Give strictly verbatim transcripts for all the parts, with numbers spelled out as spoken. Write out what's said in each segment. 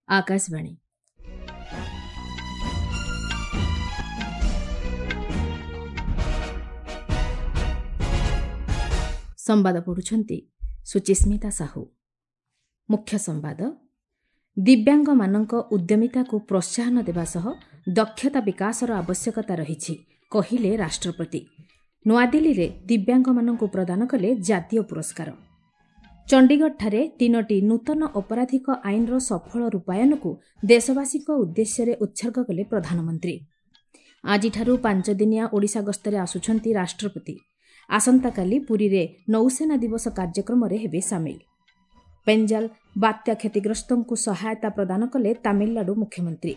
ଆକାଶବାଣୀ। ସମ୍ବାଦ ପଢ଼ୁଛନ୍ତି ସୁଚିସ୍ମିତା ସାହୁ। ମୁଖ୍ୟ ସମ୍ବାଦ। ଦିବ୍ୟାଙ୍ଗମାନଙ୍କ ଉଦ୍ୟମିତାକୁ ପ୍ରୋତ୍ସାହନ ଦେବା ସହ ଦକ୍ଷତା ବିକାଶର ଆବଶ୍ୟକତା ରହିଛି, କହିଲେ ରାଷ୍ଟ୍ରପତି। ନୂଆଦିଲ୍ଲୀରେ ଦିବ୍ୟାଙ୍ଗମାନଙ୍କୁ ପ୍ରଦାନ କଲେ ଜାତୀୟ ପୁରସ୍କାର। ଚଣ୍ଡିଗଡ଼ଠାରେ ତିନୋଟି ନୂତନ ଅପରାଧିକ ଆଇନର ସଫଳ ରୂପାୟନକୁ ଦେଶବାସୀଙ୍କ ଉଦ୍ଦେଶ୍ୟରେ ଉତ୍ସର୍ଗ କଲେ ପ୍ରଧାନମନ୍ତ୍ରୀ। ଆଜିଠାରୁ ପାଞ୍ଚଦିନିଆ ଓଡ଼ିଶା ଗସ୍ତରେ ଆସୁଛନ୍ତି ରାଷ୍ଟ୍ରପତି। ଆସନ୍ତାକାଲି ପୁରୀରେ ନୌସେନା ଦିବସ କାର୍ଯ୍ୟକ୍ରମରେ ହେବେ ସାମିଲ। ପେଞ୍ଜାଲ ବାତ୍ୟା କ୍ଷତିଗ୍ରସ୍ତଙ୍କୁ ସହାୟତା ପ୍ରଦାନ କଲେ ତାମିଲନାଡୁ ମୁଖ୍ୟମନ୍ତ୍ରୀ।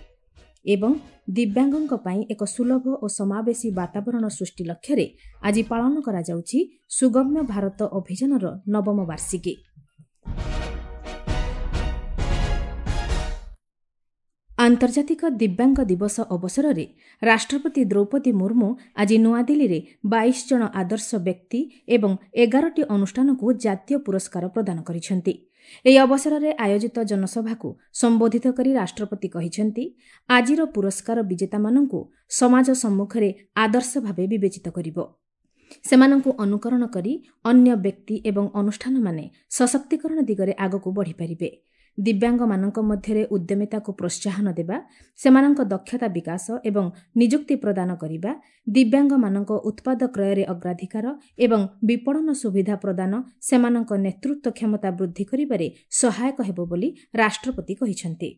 ଏବଂ ଦିବ୍ୟାଙ୍ଗଙ୍କ ପାଇଁ ଏକ ସୁଲଭ ଓ ସମାବେଶୀ ବାତାବରଣ ସୃଷ୍ଟି ଲକ୍ଷ୍ୟରେ ଆଜି ପାଳନ କରାଯାଉଛି ସୁଗମ୍ୟ ଭାରତ ଅଭିଯାନର ନବମ ବାର୍ଷିକୀ। ଆନ୍ତର୍ଜାତିକ ଦିବ୍ୟାଙ୍ଗ ଦିବସ ଅବସରରେ ରାଷ୍ଟ୍ରପତି ଦ୍ରୌପଦୀ ମୁର୍ମୁ ଆଜି ନୂଆଦିଲ୍ଲୀରେ ବାଇଶ ଜଣ ଆଦର୍ଶ ବ୍ୟକ୍ତି ଏବଂ ଏଗାରଟି ଅନୁଷ୍ଠାନକୁ ଜାତୀୟ ପୁରସ୍କାର ପ୍ରଦାନ କରିଛନ୍ତି। ଏହି ଅବସରରେ ଆୟୋଜିତ ଜନସଭାକୁ ସମ୍ବୋଧିତ କରି ରାଷ୍ଟ୍ରପତି କହିଛନ୍ତି, ଆଜିର ପୁରସ୍କାର ବିଜେତାମାନଙ୍କୁ ସମାଜ ସମ୍ମୁଖରେ ଆଦର୍ଶ ଭାବେ ବିବେଚିତ କରିବ। ସେମାନଙ୍କୁ ଅନୁକରଣ କରି ଅନ୍ୟ ବ୍ୟକ୍ତି ଏବଂ ଅନୁଷ୍ଠାନମାନେ ସଶକ୍ତିକରଣ ଦିଗରେ ଆଗକୁ ବଢ଼ିପାରିବେ। ଦିବ୍ୟାଙ୍ଗମାନଙ୍କ ମଧ୍ୟରେ ଉଦ୍ୟମିତାକୁ ପ୍ରୋତ୍ସାହନ ଦେବା, ସେମାନଙ୍କ ଦକ୍ଷତା ବିକାଶ ଏବଂ ନିଯୁକ୍ତି ପ୍ରଦାନ କରିବା, ଦିବ୍ୟାଙ୍ଗମାନଙ୍କ ଉତ୍ପାଦ କ୍ରୟରେ ଅଗ୍ରାଧିକାର ଏବଂ ବିପଣନ ସୁବିଧା ପ୍ରଦାନ ସେମାନଙ୍କ ନେତୃତ୍ୱ କ୍ଷମତା ବୃଦ୍ଧି କରିବାରେ ସହାୟକ ହେବ ବୋଲି ରାଷ୍ଟ୍ରପତି କହିଛନ୍ତି।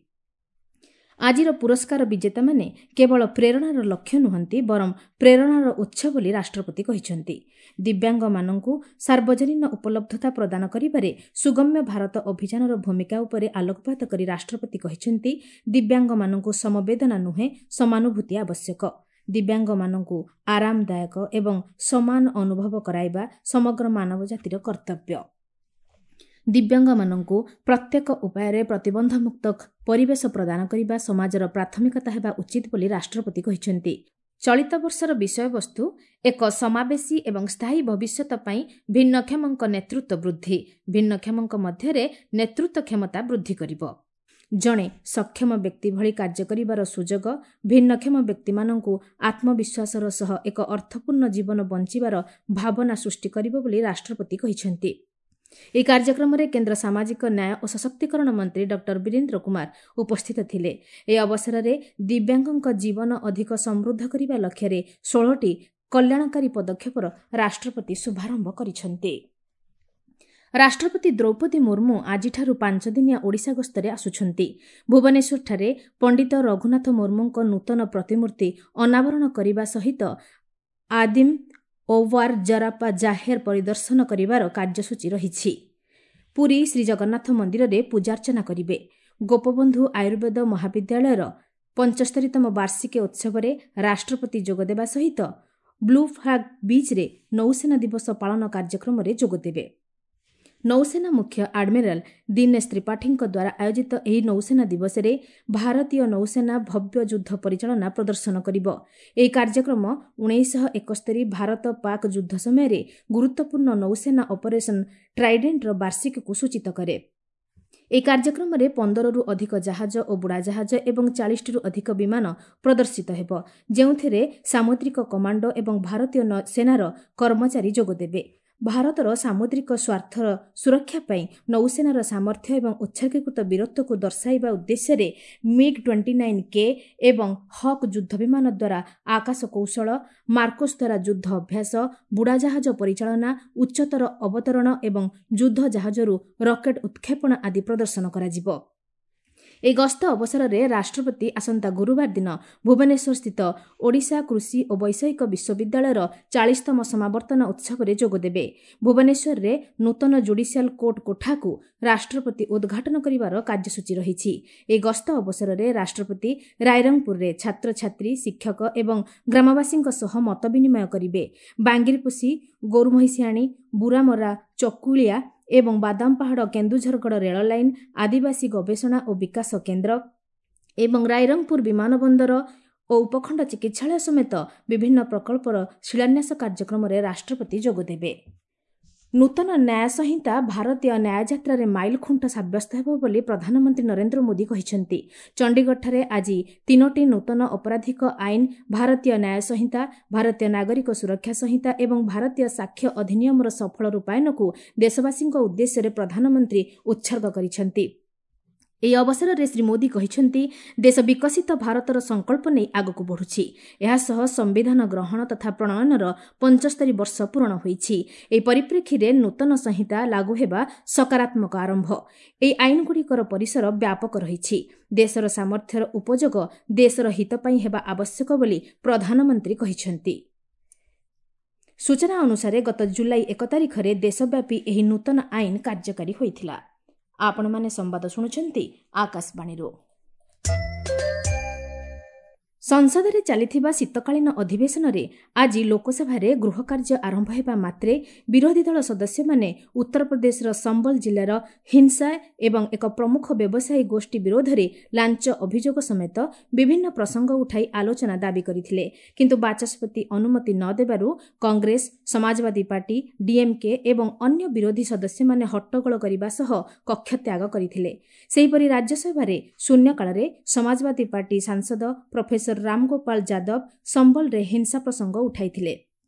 ଆଜିର ପୁରସ୍କାର ବିଜେତାମାନେ କେବଳ ପ୍ରେରଣାର ଲକ୍ଷ୍ୟ ନୁହନ୍ତି, ବରଂ ପ୍ରେରଣାର ଉତ୍ସ ବୋଲି ରାଷ୍ଟ୍ରପତି କହିଛନ୍ତି। ଦିବ୍ୟାଙ୍ଗମାନଙ୍କୁ ସାର୍ବଜନୀନ ଉପଲବ୍ଧତା ପ୍ରଦାନ କରିବାରେ ସୁଗମ୍ୟ ଭାରତ ଅଭିଯାନର ଭୂମିକା ଉପରେ ଆଲୋକପାତ କରି ରାଷ୍ଟ୍ରପତି କହିଛନ୍ତି, ଦିବ୍ୟାଙ୍ଗମାନଙ୍କୁ ସମବେଦନା ନୁହେଁ, ସମାନୁଭୂତି ଆବଶ୍ୟକ। ଦିବ୍ୟାଙ୍ଗମାନଙ୍କୁ ଆରାମଦାୟକ ଏବଂ ସମାନ ଅନୁଭବ କରାଇବା ସମଗ୍ର ମାନବ ଜାତିର କର୍ତ୍ତବ୍ୟ। ଦିବ୍ୟାଙ୍ଗମାନଙ୍କୁ ପ୍ରତ୍ୟେକ ଉପାୟରେ ପ୍ରତିବନ୍ଧମୁକ୍ତ ପରିବେଶ ପ୍ରଦାନ କରିବା ସମାଜର ପ୍ରାଥମିକତା ହେବା ଉଚିତ ବୋଲି ରାଷ୍ଟ୍ରପତି କହିଛନ୍ତି। ଚଳିତ ବର୍ଷର ବିଷୟବସ୍ତୁ ଏକ ସମାବେଶୀ ଏବଂ ସ୍ଥାୟୀ ଭବିଷ୍ୟତ ପାଇଁ ଭିନ୍ନକ୍ଷମଙ୍କ ନେତୃତ୍ୱ ବୃଦ୍ଧି, ଭିନ୍ନକ୍ଷମଙ୍କ ମଧ୍ୟରେ ନେତୃତ୍ୱ କ୍ଷମତା ବୃଦ୍ଧି କରିବ। ଜଣେ ସକ୍ଷମ ବ୍ୟକ୍ତି ଭଳି କାର୍ଯ୍ୟ କରିବାର ସୁଯୋଗ ଭିନ୍ନକ୍ଷମ ବ୍ୟକ୍ତିମାନଙ୍କୁ ଆତ୍ମବିଶ୍ୱାସର ସହ ଏକ ଅର୍ଥପୂର୍ଣ୍ଣ ଜୀବନ ବଞ୍ଚିବାର ଭାବନା ସୃଷ୍ଟି କରିବ ବୋଲି ରାଷ୍ଟ୍ରପତି କହିଛନ୍ତି। ଏହି କାର୍ଯ୍ୟକ୍ରମରେ କେନ୍ଦ୍ର ସାମାଜିକ ନ୍ୟାୟ ଓ ସଶକ୍ତିକରଣ ମନ୍ତ୍ରୀ ଡକ୍ଟର ବୀରେନ୍ଦ୍ର କୁମାର ଉପସ୍ଥିତ ଥିଲେ। ଏହି ଅବସରରେ ଦିବ୍ୟାଙ୍ଗଙ୍କ ଜୀବନ ଅଧିକ ସମୃଦ୍ଧ କରିବା ଲକ୍ଷ୍ୟରେ ଷୋହଳଟି କଲ୍ୟାଣକାରୀ ପଦକ୍ଷେପର ରାଷ୍ଟ୍ରପତି ଶୁଭାରମ୍ଭ କରିଛନ୍ତି। ରାଷ୍ଟ୍ରପତି ଦ୍ରୌପଦୀ ମୁର୍ମୁ ଆଜିଠାରୁ ପାଞ୍ଚଦିନିଆ ଓଡ଼ିଶା ଗସ୍ତରେ ଆସୁଛନ୍ତି। ଭୁବନେଶ୍ୱରଠାରେ ପଣ୍ଡିତ ରଘୁନାଥ ମୁର୍ମୁଙ୍କ ନୂତନ ପ୍ରତିମୂର୍ତ୍ତି ଅନାବରଣ କରିବା ସହିତ ଆଦିମ ଓୱାର ଜରାପା ଜାହେର ପରିଦର୍ଶନ କରିବାର କାର୍ଯ୍ୟସୂଚୀ ରହିଛି। ପୁରୀ ଶ୍ରୀଜଗନ୍ନାଥ ମନ୍ଦିରରେ ପୂଜାର୍ଚ୍ଚନା କରିବେ। ଗୋପବନ୍ଧୁ ଆୟୁର୍ବେଦ ମହାବିଦ୍ୟାଳୟର ପଞ୍ଚସ୍ତରୀତମ ବାର୍ଷିକୀ ଉତ୍ସବରେ ରାଷ୍ଟ୍ରପତି ଯୋଗଦେବା ସହିତ ବ୍ଲୁ ଫ୍ଲାଗ୍ ବିଚ୍ରେ ନୌସେନା ଦିବସ ପାଳନ କାର୍ଯ୍ୟକ୍ରମରେ ଯୋଗଦେବେ। ନୌସେନା ମୁଖ୍ୟ ଆଡମିରାଲ ଦୀନେଶ ତ୍ରିପାଠୀଙ୍କ ଦ୍ୱାରା ଆୟୋଜିତ ଏହି ନୌସେନା ଦିବସରେ ଭାରତୀୟ ନୌସେନା ଭବ୍ୟ ଯୁଦ୍ଧ ପରିଚାଳନା ପ୍ରଦର୍ଶନ କରିବ। ଏହି କାର୍ଯ୍ୟକ୍ରମ ଉଣେଇଶହ ଏକସ୍ତରୀ ଭାରତ ପାକ୍ ଯୁଦ୍ଧ ସମୟରେ ଗୁରୁତ୍ୱପୂର୍ଣ୍ଣ ନୌସେନା ଅପରେସନ ଟ୍ରାଇଡେଣ୍ଟର ବାର୍ଷିକୀକୁ ସୂଚିତ କରେ। ଏହି କାର୍ଯ୍ୟକ୍ରମରେ ପନ୍ଦରରୁ ଅଧିକ ଜାହାଜ ଓ ବୁଡ଼ାଜାହାଜ ଏବଂ ଚାଳିଶଟିରୁ ଅଧିକ ବିମାନ ପ୍ରଦର୍ଶିତ ହେବ, ଯେଉଁଥିରେ ସାମୁଦ୍ରିକ କମାଣ୍ଡୋ ଏବଂ ଭାରତୀୟ ସେନାର କର୍ମଚାରୀ ଯୋଗଦେବେ। ଭାରତର ସାମୁଦ୍ରିକ ସ୍ୱାର୍ଥର ସୁରକ୍ଷା ପାଇଁ ନୌସେନାର ସାମର୍ଥ୍ୟ ଏବଂ ଉତ୍ସର୍ଗୀକୃତ ବୀରତ୍ୱକୁ ଦର୍ଶାଇବା ଉଦ୍ଦେଶ୍ୟରେ ମିଗ୍ ଟ୍ୱେଣ୍ଟି ନାଇନ୍ କେ ଏବଂ ହକ୍ ଯୁଦ୍ଧ ବିମାନ ଦ୍ୱାରା ଆକାଶ କୌଶଳ, ମାର୍କୋସ୍ ଦ୍ୱାରା ଯୁଦ୍ଧ ଅଭ୍ୟାସ, ବୁଡ଼ାଜାହାଜ ପରିଚାଳନା, ଉଚ୍ଚତର ଅବତରଣ ଏବଂ ଯୁଦ୍ଧ ଜାହାଜରୁ ରକେଟ୍ ଉତ୍କ୍ଷେପଣ ଆଦି ପ୍ରଦର୍ଶନ କରାଯିବ। ଏହି ଗସ୍ତ ଅବସରରେ ରାଷ୍ଟ୍ରପତି ଆସନ୍ତା ଗୁରୁବାର ଦିନ ଭୁବନେଶ୍ୱରସ୍ଥିତ ଓଡ଼ିଶା କୃଷି ଓ ବୈଷୟିକ ବିଶ୍ୱବିଦ୍ୟାଳୟର ଚାଳିଶତମ ସମାବର୍ତ୍ତନ ଉତ୍ସବରେ ଯୋଗଦେବେ। ଭୁବନେଶ୍ୱରରେ ନୂତନ ଜୁଡିସିଆଲ କୋର୍ଟ କୋଠାକୁ ରାଷ୍ଟ୍ରପତି ଉଦ୍ଘାଟନ କରିବାର କାର୍ଯ୍ୟସୂଚୀ ରହିଛି। ଏହି ଗସ୍ତ ଅବସରରେ ରାଷ୍ଟ୍ରପତି ରାଇରଙ୍ଗପୁରରେ ଛାତ୍ରଛାତ୍ରୀ, ଶିକ୍ଷକ ଏବଂ ଗ୍ରାମବାସୀଙ୍କ ସହ ମତ ବିନିମୟ କରିବେ। ବାଙ୍ଗିରିପୋଷି, ଗୋରୁମହିଷିଆଣୀ, ବୁରାମରା, ଚକୁଳିଆ ଏବଂ ବାଦାମପାହାଡ଼ କେନ୍ଦୁଝରଗଡ଼ ରେଳ ଲାଇନ୍, ଆଦିବାସୀ ଗବେଷଣା ଓ ବିକାଶ କେନ୍ଦ୍ର ଏବଂ ରାଇରଙ୍ଗପୁର ବିମାନବନ୍ଦର ଓ ଉପଖଣ୍ଡ ଚିକିତ୍ସାଳୟ ସମେତ ବିଭିନ୍ନ ପ୍ରକଳ୍ପର ଶିଳାନ୍ୟାସ କାର୍ଯ୍ୟକ୍ରମରେ ରାଷ୍ଟ୍ରପତି ଯୋଗଦେବେ। ନୂତନ ନ୍ୟାୟ ସଂହିତା ଭାରତୀୟ ନ୍ୟାୟଯାତ୍ରାରେ ମାଇଲଖୁଣ୍ଟ ସାବ୍ୟସ୍ତ ହେବ ବୋଲି ପ୍ରଧାନମନ୍ତ୍ରୀ ନରେନ୍ଦ୍ର ମୋଦି କହିଛନ୍ତି। ଚଣ୍ଡିଗଡ଼ଠାରେ ଆଜି ତିନୋଟି ନୂତନ ଅପରାଧିକ ଆଇନ ଭାରତୀୟ ନ୍ୟାୟ ସଂହିତା, ଭାରତୀୟ ନାଗରିକ ସୁରକ୍ଷା ସଂହିତା ଏବଂ ଭାରତୀୟ ସାକ୍ଷ୍ୟ ଅଧିନିୟମର ସଫଳ ରୂପାୟନକୁ ଦେଶବାସୀଙ୍କ ଉଦ୍ଦେଶ୍ୟରେ ପ୍ରଧାନମନ୍ତ୍ରୀ ଉତ୍ସର୍ଗ କରିଛନ୍ତି। ଏହି ଅବସରରେ ଶ୍ରୀ ମୋଦି କହିଛନ୍ତି, ଦେଶ ବିକଶିତ ଭାରତର ସଂକଳ୍ପ ନେଇ ଆଗକୁ ବଢ଼ୁଛି। ଏହାସହ ସମ୍ବିଧାନ ଗ୍ରହଣ ତଥା ପ୍ରଣୟନର ପଞ୍ଚସ୍ତରୀ ବର୍ଷ ପୂରଣ ହୋଇଛି। ଏହି ପରିପ୍ରେକ୍ଷୀରେ ନୂତନ ସଂହିତା ଲାଗୁ ହେବା ସକାରାତ୍ମକ ଆରମ୍ଭ। ଏହି ଆଇନଗୁଡ଼ିକର ପରିସର ବ୍ୟାପକ ରହିଛି। ଦେଶର ସାମର୍ଥ୍ୟର ଉପଯୋଗ ଦେଶର ହିତ ପାଇଁ ହେବା ଆବଶ୍ୟକ ବୋଲି ପ୍ରଧାନମନ୍ତ୍ରୀ କହିଛନ୍ତି। ସୂଚନା ଅନୁସାରେ ଗତ ଜୁଲାଇ ଏକ ତାରିଖରେ ଦେଶବ୍ୟାପୀ ଏହି ନୂତନ ଆଇନ କାର୍ଯ୍ୟକାରୀ ହୋଇଥିଲା। ଆପଣମାନେ ସମ୍ବାଦ ଶୁଣୁଛନ୍ତି ଆକାଶବାଣୀରୁ। ସଂସଦରେ ଚାଲିଥିବା ଶୀତକାଳୀନ ଅଧିବେଶନରେ ଆଜି ଲୋକସଭାରେ ଗୃହକାର୍ଯ୍ୟ ଆରମ୍ଭ ହେବା ମାତ୍ରେ ବିରୋଧୀ ଦଳ ସଦସ୍ୟମାନେ ଉତ୍ତରପ୍ରଦେଶର ସମ୍ବଲ ଜିଲ୍ଲାର ହିଂସା ଏବଂ ଏକ ପ୍ରମୁଖ ବ୍ୟବସାୟୀ ଗୋଷ୍ଠୀ ବିରୋଧରେ ଲାଞ୍ଚ ଅଭିଯୋଗ ସମେତ ବିଭିନ୍ନ ପ୍ରସଙ୍ଗ ଉଠାଇ ଆଲୋଚନା ଦାବି କରିଥିଲେ। କିନ୍ତୁ ବାଚସ୍ପତି ଅନୁମତି ନ ଦେବାରୁ କଂଗ୍ରେସ, ସମାଜବାଦୀ ପାର୍ଟି, ଡିଏମ୍କେ ଏବଂ ଅନ୍ୟ ବିରୋଧୀ ସଦସ୍ୟମାନେ ହଟ୍ଟଗୋଳ କରିବା ସହ କକ୍ଷତ୍ୟାଗ କରିଥିଲେ। ସେହିପରି ରାଜ୍ୟସଭାରେ ଶୂନ୍ୟକାଳରେ ସମାଜବାଦୀ ପାର୍ଟି ସାଂସଦ ପ୍ରଫେସର ରାମଗୋପାଳ ଯାଦବ ସମ୍ବଲରେ ହିଂସା ପ୍ରସଙ୍ଗ ଉଠାଇଥିଲେ।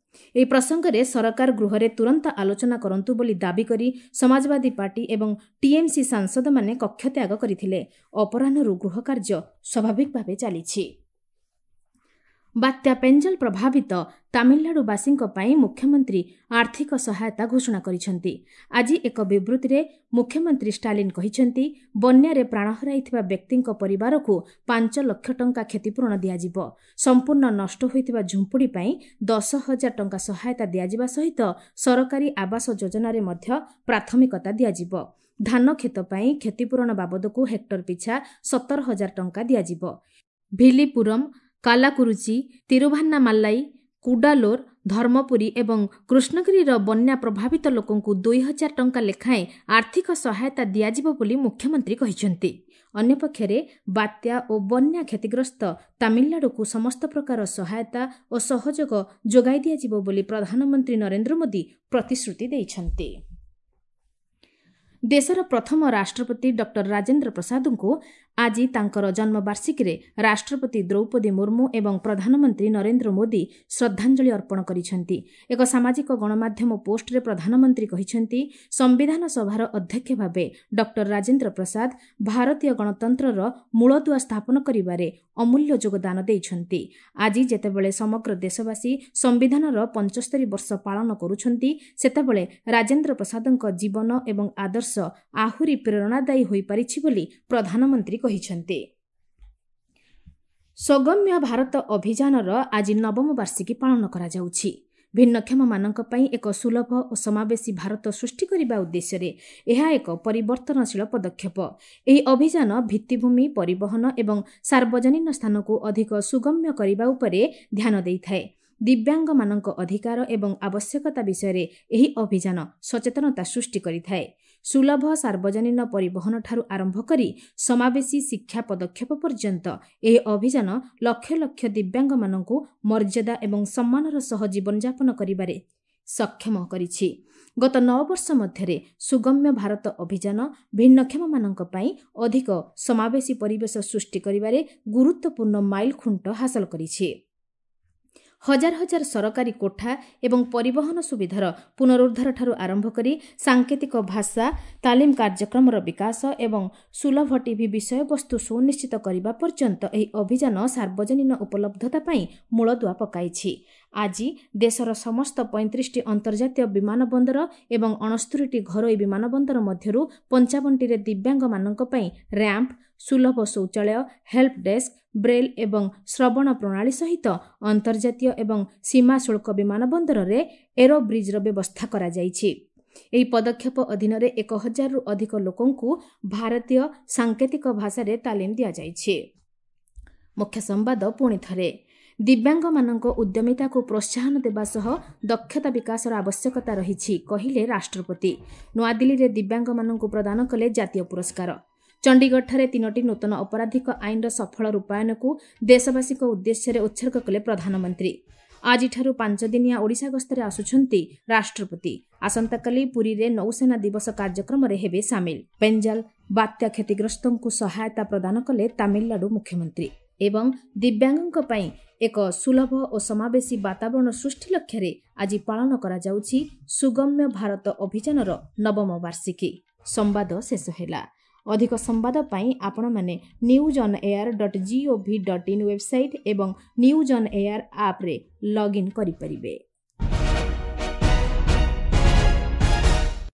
ଏହି ପ୍ରସଙ୍ଗରେ ସରକାର ଗୃହରେ ତୁରନ୍ତ ଆଲୋଚନା କରନ୍ତୁ ବୋଲି ଦାବି କରି ସମାଜବାଦୀ ପାର୍ଟି ଏବଂ ଟିଏମ୍ସି ସାଂସଦମାନେ କକ୍ଷତ୍ୟାଗ କରିଥିଲେ। ଅପରାହ୍ନରୁ ଗୃହକାର୍ଯ୍ୟ ସ୍ୱାଭାବିକ ଭାବେ ଚାଲିଛି। ବାତ୍ୟା ପେଞ୍ଜଲ ପ୍ରଭାବିତ ତାମିଲନାଡୁବାସୀଙ୍କ ପାଇଁ ମୁଖ୍ୟମନ୍ତ୍ରୀ ଆର୍ଥିକ ସହାୟତା ଘୋଷଣା କରିଛନ୍ତି। ଆଜି ଏକ ବିବୃତ୍ତିରେ ମୁଖ୍ୟମନ୍ତ୍ରୀ ଷ୍ଟାଲିନ୍ କହିଛନ୍ତି, ବନ୍ୟାରେ ପ୍ରାଣ ହରାଇଥିବା ବ୍ୟକ୍ତିଙ୍କ ପରିବାରକୁ ପାଞ୍ଚ ଲକ୍ଷ ଟଙ୍କା କ୍ଷତିପୂରଣ ଦିଆଯିବ। ସମ୍ପୂର୍ଣ୍ଣ ନଷ୍ଟ ହୋଇଥିବା ଝୁମ୍ପୁଡ଼ି ପାଇଁ ଦଶ ହଜାର ଟଙ୍କା ସହାୟତା ଦିଆଯିବା ସହିତ ସରକାରୀ ଆବାସ ଯୋଜନାରେ ମଧ୍ୟ ପ୍ରାଥମିକତା ଦିଆଯିବ। ଧାନ କ୍ଷେତ ପାଇଁ କ୍ଷତିପୂରଣ ବାବଦକୁ ହେକ୍ଟର ପିଛା ସତର ହଜାର ଟଙ୍କା ଦିଆଯିବ। ଭିଲିପୁରମ୍, କାଲାକୁରୁଚି, ତିରୁଭାନ୍ନାମାଲାଇ, କୁଡାଲୋର, ଧର୍ମପୁରୀ ଏବଂ କୃଷ୍ଣଗିରିର ବନ୍ୟା ପ୍ରଭାବିତ ଲୋକଙ୍କୁ ଦୁଇ ହଜାର ଟଙ୍କା ଲେଖାଏଁ ଆର୍ଥିକ ସହାୟତା ଦିଆଯିବ ବୋଲି ମୁଖ୍ୟମନ୍ତ୍ରୀ କହିଛନ୍ତି। ଅନ୍ୟପକ୍ଷରେ ବାତ୍ୟା ଓ ବନ୍ୟା କ୍ଷତିଗ୍ରସ୍ତ ତାମିଲନାଡୁକୁ ସମସ୍ତ ପ୍ରକାର ସହାୟତା ଓ ସହଯୋଗ ଯୋଗାଇ ଦିଆଯିବ ବୋଲି ପ୍ରଧାନମନ୍ତ୍ରୀ ନରେନ୍ଦ୍ର ମୋଦି ପ୍ରତିଶ୍ରୁତି ଦେଇଛନ୍ତି। ଦେଶର ପ୍ରଥମ ରାଷ୍ଟ୍ରପତି ଡକ୍ଟର ରାଜେନ୍ଦ୍ର ପ୍ରସାଦଙ୍କୁ ଆଜି ତାଙ୍କର ଜନ୍ମବାର୍ଷିକୀରେ ରାଷ୍ଟ୍ରପତି ଦ୍ରୌପଦୀ ମୁର୍ମୁ ଏବଂ ପ୍ରଧାନମନ୍ତ୍ରୀ ନରେନ୍ଦ୍ର ମୋଦି ଶ୍ରଦ୍ଧାଞ୍ଜଳି ଅର୍ପଣ କରିଛନ୍ତି। ଏକ ସାମାଜିକ ଗଣମାଧ୍ୟମ ପୋଷ୍ଟରେ ପ୍ରଧାନମନ୍ତ୍ରୀ କହିଛନ୍ତି, ସମ୍ବିଧାନ ସଭାର ଅଧ୍ୟକ୍ଷ ଭାବେ ଡକ୍ଟର ରାଜେନ୍ଦ୍ର ପ୍ରସାଦ ଭାରତୀୟ ଗଣତନ୍ତ୍ରର ମୂଳଦୁଆ ସ୍ଥାପନ କରିବାରେ ଅମୂଲ୍ୟ ଯୋଗଦାନ ଦେଇଛନ୍ତି। ଆଜି ଯେତେବେଳେ ସମଗ୍ର ଦେଶବାସୀ ସମ୍ବିଧାନର ପଞ୍ଚସ୍ତରୀ ବର୍ଷ ପାଳନ କରୁଛନ୍ତି, ସେତେବେଳେ ରାଜେନ୍ଦ୍ର ପ୍ରସାଦଙ୍କ ଜୀବନ ଏବଂ ଆଦର୍ଶ ଆହୁରି ପ୍ରେରଣାଦାୟୀ ହୋଇପାରିଛି ବୋଲି ପ୍ରଧାନମନ୍ତ୍ରୀ କହିଛନ୍ତି। ସୁଗମ୍ୟ ଭାରତ ଅଭିଯାନର ଆଜି ନବମ ବାର୍ଷିକୀ ପାଳନ କରାଯାଉଛି। ଭିନ୍ନକ୍ଷମମାନଙ୍କ ପାଇଁ ଏକ ସୁଲଭ ଓ ସମାବେଶୀ ଭାରତ ସୃଷ୍ଟି କରିବା ଉଦ୍ଦେଶ୍ୟରେ ଏହା ଏକ ପରିବର୍ତ୍ତନଶୀଳ ପଦକ୍ଷେପ। ଏହି ଅଭିଯାନ ଭିତ୍ତିଭୂମି, ପରିବହନ ଏବଂ ସାର୍ବଜନୀନ ସ୍ଥାନକୁ ଅଧିକ ସୁଗମ୍ୟ କରିବା ଉପରେ ଧ୍ୟାନ ଦେଇଥାଏ। ଦିବ୍ୟାଙ୍ଗମାନଙ୍କ ଅଧିକାର ଏବଂ ଆବଶ୍ୟକତା ବିଷୟରେ ଏହି ଅଭିଯାନ ସଚେତନତା ସୃଷ୍ଟି କରିଥାଏ। ସୁଲଭ ସାର୍ବଜନୀନ ପରିବହନଠାରୁ ଆରମ୍ଭ କରି ସମାବେଶୀ ଶିକ୍ଷା ପଦକ୍ଷେପ ପର୍ଯ୍ୟନ୍ତ ଏହି ଅଭିଯାନ ଲକ୍ଷ ଲକ୍ଷ ଦିବ୍ୟାଙ୍ଗମାନଙ୍କୁ ମର୍ଯ୍ୟାଦା ଏବଂ ସମ୍ମାନର ସହ ଜୀବନଯାପନ କରିବାରେ ସକ୍ଷମ କରିଛି। ଗତ ନଅ ବର୍ଷ ମଧ୍ୟରେ ସୁଗମ୍ୟ ଭାରତ ଅଭିଯାନ ଭିନ୍ନକ୍ଷମମାନଙ୍କ ପାଇଁ ଅଧିକ ସମାବେଶୀ ପରିବେଶ ସୃଷ୍ଟି କରିବାରେ ଗୁରୁତ୍ୱପୂର୍ଣ୍ଣ ମାଇଲଖୁଣ୍ଟ ହାସଲ କରିଛି। ହଜାର ହଜାର ସରକାରୀ କୋଠା ଏବଂ ପରିବହନ ସୁବିଧାର ପୁନରୁଦ୍ଧାରଠାରୁ ଆରମ୍ଭ କରି ସାଙ୍କେତିକ ଭାଷା ତାଲିମ କାର୍ଯ୍ୟକ୍ରମର ବିକାଶ ଏବଂ ସୁଲଭ ଟିଭି ବିଷୟବସ୍ତୁ ସୁନିଶ୍ଚିତ କରିବା ପର୍ଯ୍ୟନ୍ତ ଏହି ଅଭିଯାନ ସାର୍ବଜନୀନ ଉପଲବ୍ଧତା ପାଇଁ ମୂଳଦୁଆ ପକାଇଛି। ଆଜି ଦେଶର ସମସ୍ତ ପଇଁତିରିଶଟି ଅନ୍ତର୍ଜାତୀୟ ବିମାନ ବନ୍ଦର ଏବଂ ଅଣସ୍ତରୀଟି ଘରୋଇ ବିମାନ ବନ୍ଦର ମଧ୍ୟରୁ ପଞ୍ଚାବନଟିରେ ଦିବ୍ୟାଙ୍ଗମାନଙ୍କ ପାଇଁ ର୍ୟାମ୍ପ, ସୁଲଭ ଶୌଚାଳୟ, ହେଲ୍ପ ଡେସ୍କ, ବ୍ରେଲ୍ ଏବଂ ଶ୍ରବଣ ପ୍ରଣାଳୀ ସହିତ ଅନ୍ତର୍ଜାତୀୟ ଏବଂ ସୀମା ଶୁଳ୍କ ବିମାନ ବନ୍ଦରରେ ଏରୋ ବ୍ରିଜ୍ର ବ୍ୟବସ୍ଥା କରାଯାଇଛି। ଏହି ପଦକ୍ଷେପ ଅଧୀନରେ ଏକ ହଜାରରୁ ଅଧିକ ଲୋକଙ୍କୁ ଭାରତୀୟ ସାଙ୍କେତିକ ଭାଷାରେ ତାଲିମ ଦିଆଯାଇଛି। ମୁଖ୍ୟ ସମ୍ବାଦ ପୁଣି ଥରେ, ଦିବ୍ୟାଙ୍ଗମାନଙ୍କ ଉଦ୍ୟମିତାକୁ ପ୍ରୋତ୍ସାହନ ଦେବା ସହ ଦକ୍ଷତା ବିକାଶର ଆବଶ୍ୟକତା ରହିଛି, କହିଲେ ରାଷ୍ଟ୍ରପତି। ନୂଆଦିଲ୍ଲୀରେ ଦିବ୍ୟାଙ୍ଗମାନଙ୍କୁ ପ୍ରଦାନ କଲେ ଜାତୀୟ ପୁରସ୍କାର। ଚଣ୍ଡିଗଡ଼ଠାରେ ତିନୋଟି ନୂତନ ଅପରାଧିକ ଆଇନର ସଫଳ ରୂପାୟନକୁ ଦେଶବାସୀଙ୍କ ଉଦ୍ଦେଶ୍ୟରେ ଉତ୍ସର୍ଗ କଲେ ପ୍ରଧାନମନ୍ତ୍ରୀ। ଆଜିଠାରୁ ପାଞ୍ଚଦିନିଆ ଓଡ଼ିଶା ଗସ୍ତରେ ଆସୁଛନ୍ତି ରାଷ୍ଟ୍ରପତି। ଆସନ୍ତାକାଲି ପୁରୀରେ ନୌସେନା ଦିବସ କାର୍ଯ୍ୟକ୍ରମରେ ହେବେ ସାମିଲ। ପେଞ୍ଜାଲ ବାତ୍ୟା କ୍ଷତିଗ୍ରସ୍ତଙ୍କୁ ସହାୟତା ପ୍ରଦାନ କଲେ ତାମିଲନାଡୁ ମୁଖ୍ୟମନ୍ତ୍ରୀ। ଏବଂ ଦିବ୍ୟାଙ୍ଗଙ୍କ ପାଇଁ ଏକ ସୁଲଭ ଓ ସମାବେଶୀ ବାତାବରଣ ସୃଷ୍ଟି ଲକ୍ଷ୍ୟରେ ଆଜି ପାଳନ କରାଯାଉଛି ସୁଗମ୍ୟ ଭାରତ ଅଭିଯାନର ନବମ ବାର୍ଷିକୀ। ସମ୍ବାଦ ଶେଷ ହେଲା। ଅଧିକ ସମ୍ବାଦ ପାଇଁ ଆପଣମାନେ news on air dot gov dot in website ଏବଂ ନ୍ୟୁଜ୍ ଅନ୍ ଏୟାର ଆପ୍ରେ ଲଗ୍ଇନ୍ କରିପାରିବେ।